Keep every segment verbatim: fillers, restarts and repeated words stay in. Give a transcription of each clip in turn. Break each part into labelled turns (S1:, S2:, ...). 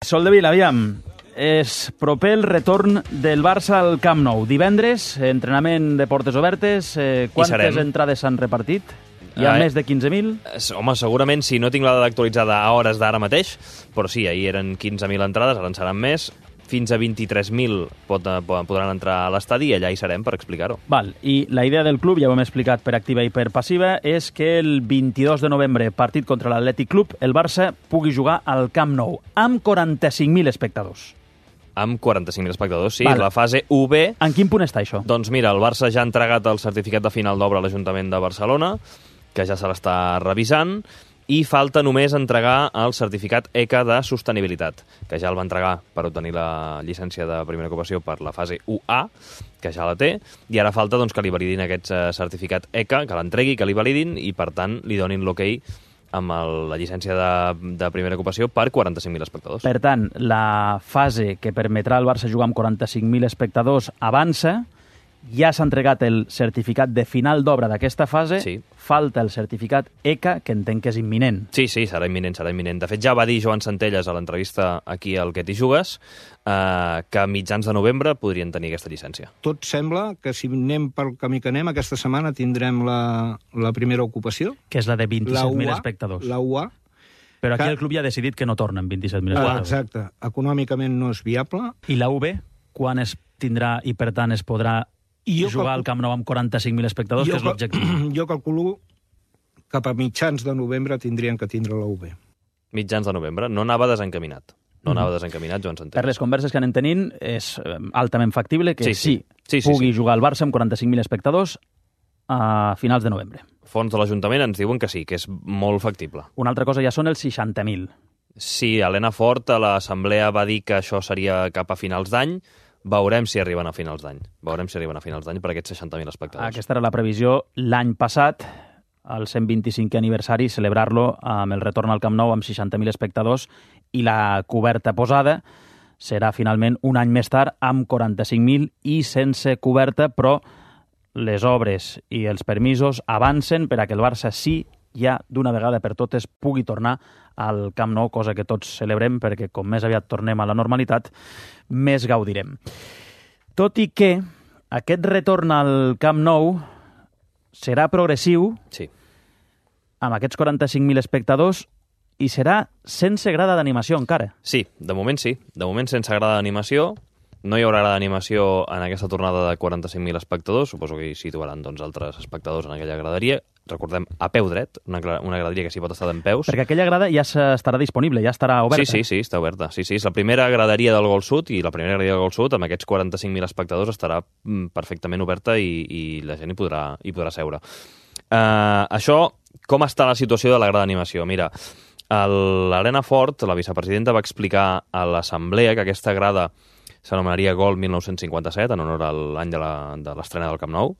S1: Soldevila, aviam, és proper el retorn del Barça al Camp Nou. Divendres, entrenament de portes obertes, eh, quantes entrades s'han repartit? Hi ha eh, més de quinze mil?
S2: Home, segurament, si no tinc la dada actualitzada a hores d'ara mateix, però sí, ahir eren quinze mil entrades, ara en seran més. Fins a vint-i-tres mil pot, podran entrar a l'estadi i allà hi serem per explicar-ho.
S1: Val, i la idea del club, ja ho hem explicat per activa i per passiva, és que el vint-i-dos de novembre, partit contra l'Atlètic Club, el Barça pugui jugar al Camp Nou, amb quaranta-cinc mil espectadors.
S2: Amb quaranta-cinc mil espectadors, sí,
S1: Val.
S2: La fase U B...
S1: En quin punt està això?
S2: Doncs mira, el Barça ja ha entregat el certificat de final d'obra a l'Ajuntament de Barcelona, que ja se l'està revisant, i falta només entregar el certificat E C A de sostenibilitat, que ja el va entregar per obtenir la llicència de primera ocupació per la fase U A, que ja la té, i ara falta doncs, que li validin aquest certificat E C A, que l'entregui, que li validin, i per tant li donin l'ok amb el, la llicència de, de primera ocupació per quaranta-cinc mil espectadors.
S1: Per tant, la fase que permetrà al Barça jugar amb quaranta-cinc mil espectadors avança. Ja s'ha entregat el certificat de final d'obra d'aquesta fase,
S2: sí.
S1: Falta el certificat E C A, que entenc que és imminent.
S2: Sí, sí, serà imminent, serà imminent. De fet, ja va dir Joan Centelles a l'entrevista aquí al Que t'hi jugues eh, que a mitjans de novembre podrien tenir aquesta llicència.
S3: Tot sembla que si anem pel camí que anem, aquesta setmana tindrem la, la primera ocupació.
S1: Que és la de vint-i-set mil espectadors.
S3: La U A.
S1: Però aquí
S3: que...
S1: el club ja ha decidit que no tornen vint-i-set mil espectadors.
S3: Ah, exacte. Econòmicament no és viable.
S1: I la U B, quan es tindrà i per tant es podrà jo jugar calcul... al Camp Nou amb quaranta-cinc mil espectadors, jo que és l'objectiu?
S3: Jo calculo cap a mitjans de novembre tindrien que tindre la U B.
S2: Mitjans de novembre. No anava desencaminat. No anava desencaminat, Joan Centelles.
S1: Per les converses que anem tenint, és altament factible que sí, sí, sí, sí pugui
S2: sí, sí.
S1: jugar al Barça amb quaranta-cinc mil espectadors a finals de novembre.
S2: Fons de l'Ajuntament ens diuen que sí, que és molt factible.
S1: Una altra cosa ja són els seixanta mil.
S2: Sí, Helena Fort a l'Assemblea va dir que això seria cap a finals d'any. Veurem si arriben a finals d'any. Veurem si arriben a finals d'any per aquests seixanta mil espectadors.
S1: Aquesta era la previsió l'any passat, el cent vint-i-cinquè aniversari, celebrar-lo amb el retorn al Camp Nou amb seixanta mil espectadors i la coberta posada serà finalment un any més tard amb quaranta-cinc mil i sense coberta, però les obres i els permisos avancen per a que el Barça sí ja d'una vegada per totes pugui tornar al Camp Nou, cosa que tots celebrem perquè com més aviat tornem a la normalitat, més gaudirem. Tot i que aquest retorn al Camp Nou serà progressiu,
S2: sí.
S1: Amb aquests quaranta-cinc mil espectadors, i serà sense grada d'animació encara.
S2: Sí, de moment sí. De moment sense grada d'animació. No hi haurà grada d'animació en aquesta tornada de quaranta-cinc mil espectadors. Suposo que hi situaran doncs, altres espectadors en aquella graderia. Recordem, a peu dret, una, una graderia que s'hi pot estar d'en peus.
S1: Perquè aquella grada ja estarà disponible, ja estarà oberta.
S2: Sí, sí, sí, està oberta. Sí, sí, és la primera graderia del Gol Sud i la primera graderia del Gol Sud, amb aquests quaranta-cinc mil espectadors, estarà perfectament oberta i, i la gent hi podrà, hi podrà seure. Uh, això, com està la situació de la grada d'animació? Mira, l'Helena Fort, la vicepresidenta, va explicar a l'assemblea que aquesta grada s'anomenaria Gol mil nou-cents cinquanta-set, en honor a l'any de l'estrena del Camp Nou.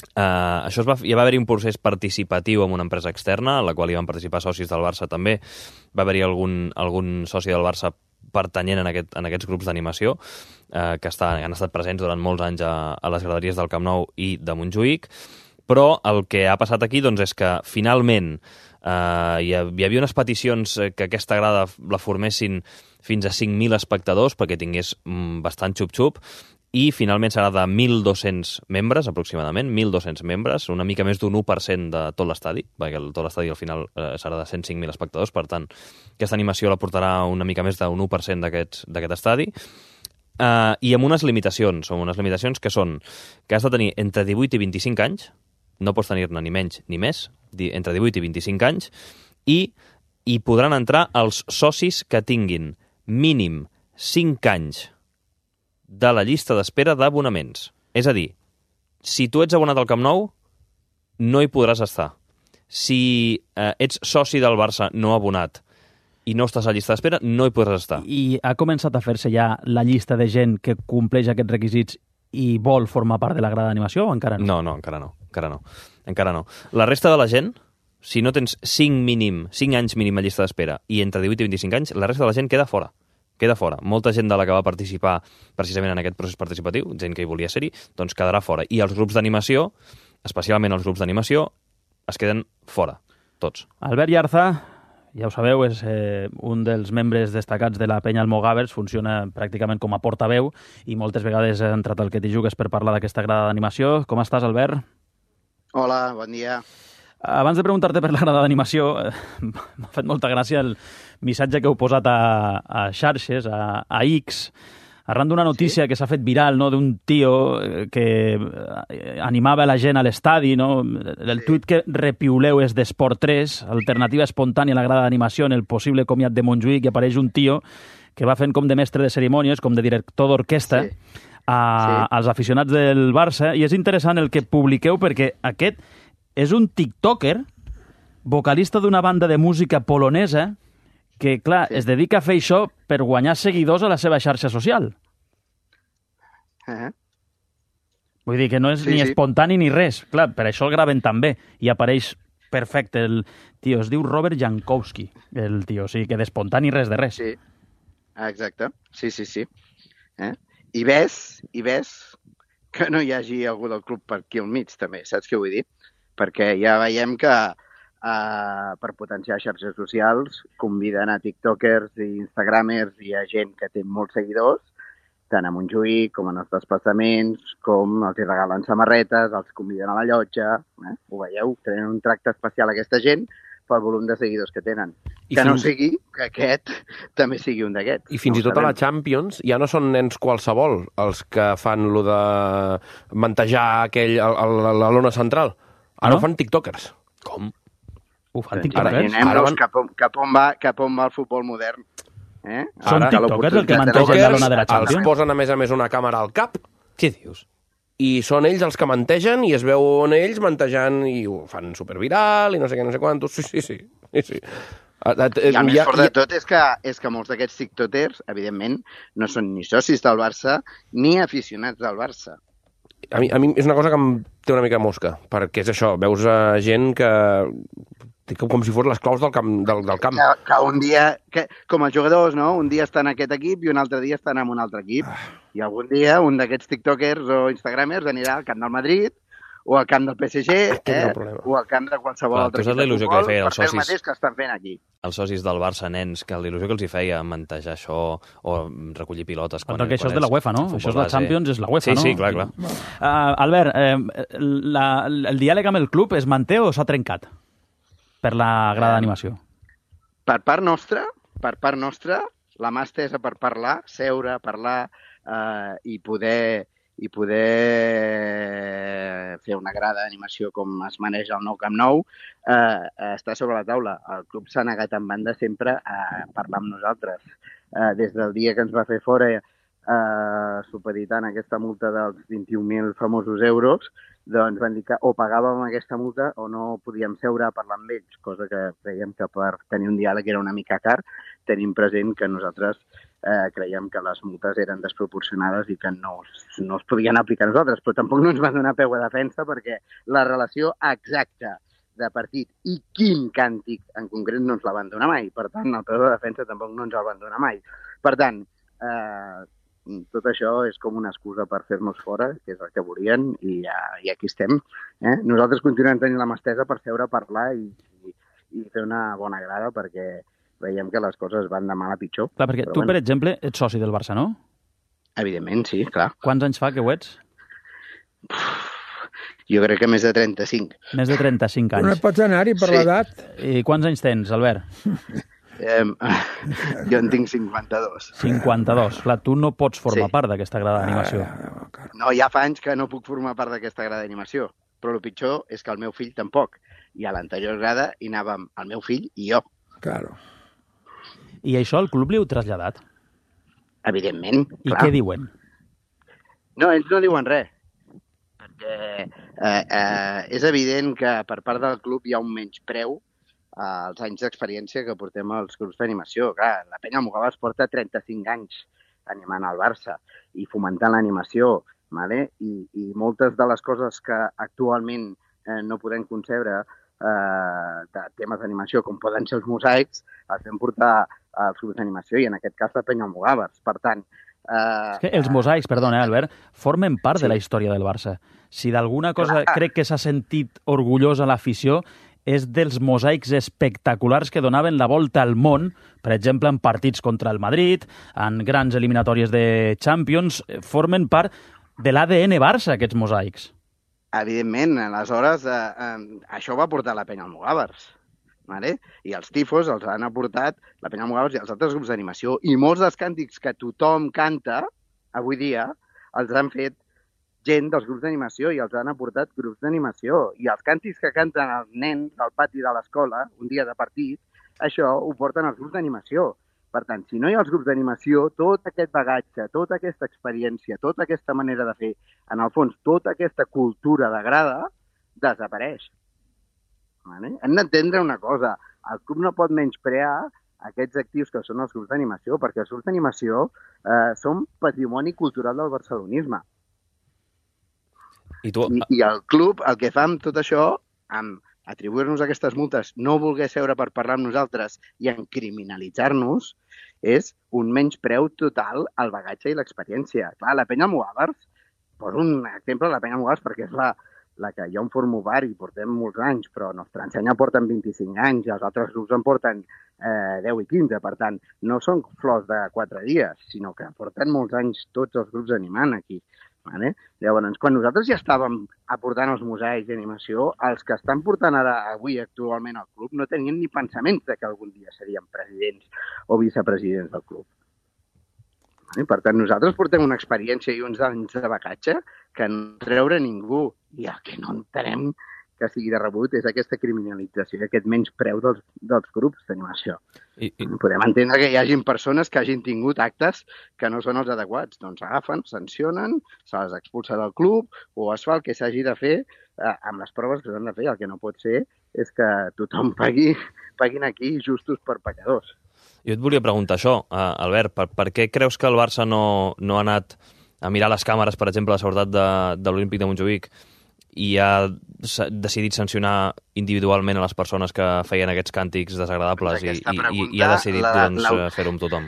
S2: Uh, això es va, ja va haver-hi un procés participatiu amb una empresa externa, en la qual hi van participar socis del Barça també. Va haver-hi algun, algun soci del Barça pertanyent en, aquest, en aquests grups d'animació uh, que està, han estat presents durant molts anys a, a les graderies del Camp Nou i de Montjuïc. Però el que ha passat aquí doncs, és que finalment uh, hi, ha, hi havia unes peticions que aquesta grada la formessin fins a cinc mil espectadors perquè tingués mm, bastant xup-xup, i finalment serà de mil dos-cents membres, aproximadament, mil dos-cents membres, una mica més d'un u per cent de tot l'estadi, perquè el, tot l'estadi al final eh, serà de cent cinc mil espectadors, per tant, aquesta animació la portarà una mica més d'un u per cent d'aquest estadi, uh, i amb unes limitacions, són unes limitacions que són que has de tenir entre divuit i vint-i-cinc anys, no pots tenir-ne ni menys ni més, entre divuit i vint-i-cinc anys, i hi podran entrar els socis que tinguin mínim cinc anys de la llista d'espera d'abonaments. És a dir, si tu ets abonat al Camp Nou, no hi podràs estar. Si eh, ets soci del Barça no abonat i no estàs a la llista d'espera, no hi podràs estar.
S1: I ha començat a fer-se ja la llista de gent que compleix aquests requisits i vol formar part de la grada d'animació o encara no?
S2: No, no, encara no. Encara no. Encara no. La resta de la gent, si no tens cinc mínim, cinc anys mínim a llista d'espera i entre divuit i vint-i-cinc anys, la resta de la gent queda fora. Queda fora. Molta gent de la que va participar precisament en aquest procés participatiu, gent que hi volia ser-hi, doncs quedarà fora. I els grups d'animació, especialment els grups d'animació, es queden fora, tots.
S1: Albert Yarza, ja ho sabeu, és eh, un dels membres destacats de la penya Almogàvers, funciona pràcticament com a portaveu i moltes vegades ha entrat al Que t'hi jugues per parlar d'aquesta grada d'animació. Com estàs, Albert?
S4: Hola, bon dia.
S1: Abans de preguntar-te per la grada d'animació, eh, m'ha fet molta gràcia el missatge que heu posat a, a xarxes, a, a X, arran d'una notícia sí? que s'ha fet viral, no?, d'un tio que animava la gent a l'estadi, no? El sí. tuit que repiuleu és d'Esport tres, alternativa espontània a la grada d'animació en el possible comiat de Montjuïc, i apareix un tio que va fent com de mestre de cerimònies, com de director d'orquestra, sí. a, sí. als aficionats del Barça, i és interessant el que publiqueu perquè aquest és un tiktoker, vocalista d'una banda de música polonesa, que, clar, sí. es dedica a fer això per guanyar seguidors a la seva xarxa social. Uh-huh. Vull dir que no és sí, ni sí. espontani ni res. Clar, per això el graven tan bé. I apareix perfecte el tio. Es diu Robert Jankowski, el tio. O sigui, que d'espontani res de res.
S4: Sí, exacte. Sí, sí, sí. Eh? I ves, i ves que no hi hagi algú del club per aquí al mig, també. Saps què vull dir? Perquè ja veiem que Uh, per potenciar xarxes socials, conviden a tiktokers i instagramers i a gent que té molts seguidors, tant a Montjuïc com en els desplaçaments, com els hi regalen samarretes, els conviden a la llotja, eh? Ho veieu? Tenen un tracte especial a aquesta gent pel volum de seguidors que tenen. I que fins... no sigui que aquest també sigui un d'aquests.
S5: I fins no i tot a la Champions ja no són nens qualsevol els que fan lo de mantejar aquell, a, a, a la lona central. Ara no? Ho fan tiktokers.
S2: Com?
S1: Ho fan tiktokers?
S4: Imaginem-nos cap, cap, on va, cap on va el futbol modern. Eh?
S1: Són tiktokers el que mantegen la lona de la Champions?
S5: Els posen, a més a més, una càmera al cap.
S2: Què dius?
S5: I són ells els que mantegen i es veuen ells mantejant i ho fan superviral i no sé què, no sé quantos. Sí, sí, sí. sí, sí.
S4: I el més fort de tot és que, és que molts d'aquests tiktokers, evidentment, no són ni socis del Barça ni aficionats del Barça.
S5: A mi, a mi és una cosa que em té una mica mosca, perquè és això, veus a gent que... com si fos les claus del camp. Del, del camp.
S4: Que, que un dia, que, com els jugadors, no? Un dia estan en aquest equip i un altre dia estan en un altre equip. Ah. I algun dia un d'aquests tiktokers o instagramers anirà al camp del Madrid o al camp del P S G eh? o al camp de qualsevol
S2: Clar,
S4: altre
S2: equip de futbol que feia els socis,
S4: per fer el mateix que estan fent aquí.
S2: Els socis del Barça, nens, que l'il·lusió que els hi feia mantejar això o recollir pilotes. Quan,
S1: perquè això és de la UEFA, no? Això és la Champions, és la UEFA,
S2: sí,
S1: no?
S2: Sí, sí, clar, clar.
S1: Uh, Albert, eh, la, el diàleg amb el club es manté o s'ha trencat per la grada d'animació?
S4: Per part nostra, per part nostra, la mà estesa per parlar, seure, parlar eh, i poder i poder fer una grada d'animació com es maneja el nou Camp Nou, eh, està sobre la taula. El club s'ha negat en banda sempre a parlar amb nosaltres. Eh, des del dia que ens va fer fora eh, supeditant aquesta multa dels vint-i-un mil famosos euros, doncs van dir que o pagàvem aquesta multa o no podíem seure a parlar amb ells, cosa que creiem que per tenir un diàleg era una mica car. Tenim present que nosaltres eh, creiem que les multes eren desproporcionades i que no, no es podien aplicar a nosaltres, però tampoc no ens van donar peu a defensa perquè la relació exacta de partit i quin càntic en concret no ens la van donar mai. Per tant, el peu de defensa tampoc no ens el van donar mai. Per tant, eh, tot això és com una excusa per fer-nos fora, que és el que volien, i, ja, i aquí estem. Eh? Nosaltres continuem tenint la mà estesa per seure a parlar i, i, i fer una bona grada, perquè veiem que les coses van de mal a pitjor.
S1: Clar, perquè tu, bueno, per exemple, ets soci del Barça, no?
S4: Evidentment, sí, clar.
S1: Quants anys fa que ho ets?
S4: Jo crec que més de trenta-cinc.
S1: Més de trenta-cinc anys.
S6: No pots anar-hi per sí. l'edat.
S1: I quants anys tens, Albert?
S4: Eh, jo en tinc cinquanta-dos.
S1: cinquanta-dos. Clar, tu no pots formar sí. part d'aquesta grada d'animació.
S4: No, ja fa anys que no puc formar part d'aquesta grada d'animació, però el pitjor és que el meu fill tampoc. I a l'anterior grada hi anàvem el meu fill i jo.
S6: Claro.
S1: I això al club li heu traslladat?
S4: Evidentment,
S1: I
S4: clar.
S1: Què diuen?
S4: No, ells no diuen res. Perquè eh, eh, és evident que per part del club hi ha un menyspreu als anys d'experiència que portem als grups d'animació. Clar, la penya Almogàvers porta trenta-cinc anys animant al Barça i fomentant l'animació, vale? I, i moltes de les coses que actualment eh, no podem concebre eh, de temes d'animació, com poden ser els mosaics, els vam portar als grups d'animació i en aquest cas la penya Almogàvers. Per tant...
S1: Eh, és que els mosaics, perdona, eh, Albert, formen part sí. de la història del Barça. Si d'alguna cosa Clar. crec que s'ha sentit orgullós a l'afició és dels mosaics espectaculars que donaven la volta al món, per exemple, en partits contra el Madrid, en grans eliminatòries de Champions, formen part de l'A D N Barça, aquests mosaics.
S4: Evidentment, aleshores, eh, eh, això va portar la penya Almogàvers. Vale? I els tifos els han aportat la penya Almogàvers i els altres grups d'animació. I molts dels càntics que tothom canta avui dia els han fet gent dels grups d'animació i els han aportat grups d'animació. I els càntics que canten els nens del pati de l'escola, un dia de partit, això ho porten els grups d'animació. Per tant, si no hi ha els grups d'animació, tot aquest bagatge, tota aquesta experiència, tota aquesta manera de fer, en el fons, tota aquesta cultura de grada, desapareix. Vale? Hem d'entendre una cosa, el club no pot menysprear aquests actius que són els grups d'animació, perquè els grups d'animació eh, són patrimoni cultural del barcelonisme.
S2: I, tu...
S4: I, I el club, el que fa amb tot això, amb atribuir-nos aquestes multes, no voler seure per parlar amb nosaltres i en criminalitzar-nos, és un menyspreu total al bagatge i l'experiència. Clar, la penya Almogàvers, poso un exemple de la penya Almogàvers perquè és la, la que jo em formo part i portem molts anys, però Nostra Ensenya porten vint-i-cinc anys i els altres grups en porten eh, deu i quinze. Per tant, no són flors de quatre dies, sinó que porten molts anys tots els grups animant aquí. Vale? Llavors, quan nosaltres ja estàvem aportant els mosaics d'animació, els que estan portant ara, avui, actualment al club, no tenien ni pensaments de que algun dia serien presidents o vicepresidents del club. Vale? Per tant, nosaltres portem una experiència i uns anys de bagatge que no treure ningú. I el que no entenem que sigui de rebut és aquesta criminalització, aquest menyspreu dels, dels grups d'animació. I, i... Podem entendre que hi hagin persones que hagin tingut actes que no són els adequats. Doncs agafen, sancionen, se les expulsa del club o es fa el que s'hagi de fer eh, amb les proves que s'han de fer. El que no pot ser és que tothom pagui, paguin aquí justos per pecadors.
S2: Jo et volia preguntar això, eh, Albert, per, per què creus que el Barça no, no ha anat a mirar les càmeres, per exemple, la seguretat de, de l'Olímpic de Montjuïc i ha decidit sancionar individualment a les persones que feien aquests càntics desagradables i, i, i ha decidit la, doncs, la... fer-ho amb tothom?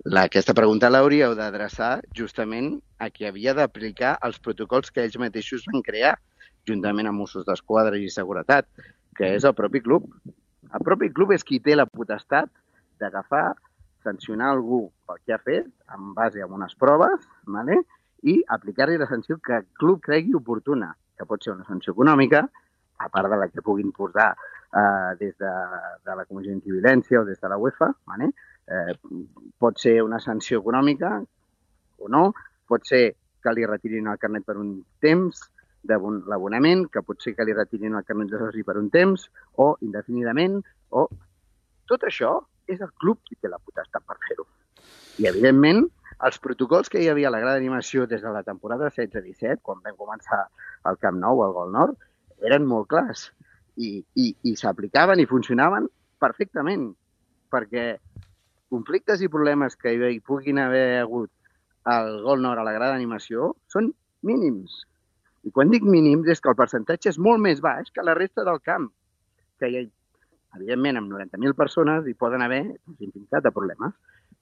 S4: La, aquesta pregunta l'hauríeu d'adreçar justament a qui havia d'aplicar els protocols que ells mateixos van crear, juntament amb Mossos d'Esquadra i Seguretat, que és el propi club. El propi club és qui té la potestat d'agafar, sancionar algú pel que ha fet, en base a unes proves, ¿vale? I aplicar-li la sanció que el club cregui oportuna, que pot ser una sanció econòmica, a part de la que puguin posar eh, des de, de la Comissió Antiviolència o des de la UEFA, ¿vale? eh, pot ser una sanció econòmica o no, pot ser que li retirin el carnet per un temps de l'abonament, que pot ser que li retirin el carnet de soci per un temps, o indefinidament, o... Tot això és el club qui té la potestat per fer-ho. I, evidentment, els protocols que hi havia a la grada d'animació des de la temporada setze disset, quan vam començar el Camp Nou, al Gol Nord, eren molt clars i, i, i s'aplicaven i funcionaven perfectament, perquè conflictes i problemes que hi puguin haver hagut al Gol Nord, a la grada d'animació, són mínims. I quan dic mínims és que el percentatge és molt més baix que la resta del camp, que hi ha, evidentment, amb noranta mil persones hi poden haver infinitat de problemes.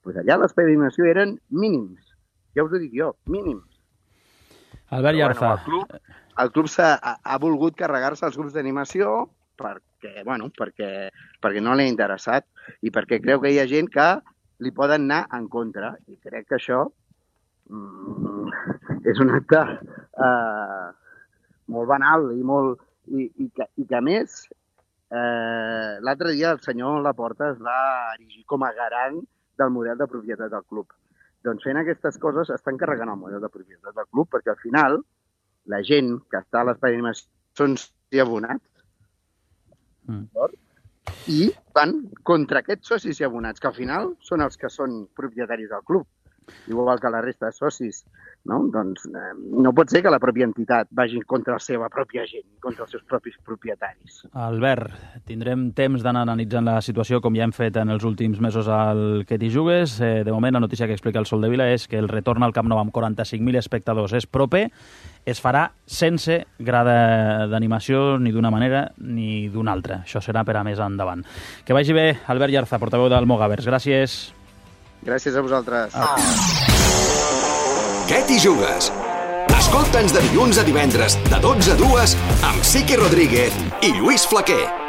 S4: Pues allà l'espai d'animació eren mínims. Ja us ho dic jo, mínims.
S1: Albert Yarza.
S4: Bueno, el club, el club ha, ha volgut carregar-se els grups d'animació perquè, bueno, perquè, perquè no l'ha interessat i perquè creu que hi ha gent que li poden anar en contra. I crec que això mm, és un acte eh, molt banal i, molt, i, i, que, i que, a més, eh, l'altre dia el senyor Laporta es va erigir com a garant del model de propietat del club. Doncs fent aquestes coses estan carregant el model de propietat del club perquè al final la gent que està a l'espai d'animació són abonats mm. i van contra aquests socis i abonats que al final són els que són propietaris del club. Igual que la resta de socis, no? Doncs eh, no pot ser que la pròpia entitat vagi contra la seva pròpia gent, contra els seus propis propietaris.
S1: Albert, tindrem temps d'anar analitzant la situació com ja hem fet en els últims mesos al Que t'hi jugues. Eh, de moment, la notícia que explica el Sol de Vila és que el retorn al Camp Nou amb quaranta-cinc mil espectadors és proper, es farà sense grada d'animació ni d'una manera ni d'una altra. Això serà per a més endavant. Que vagi bé, Albert Yarza, portaveu d'Almogàvers. Gràcies.
S4: Gràcies a vosaltres. Ah.
S6: Què t'hi jugues? Escolta Escolta'ns de dilluns a divendres, de dotze a dues, amb Sique Rodríguez i Lluís Flaquer.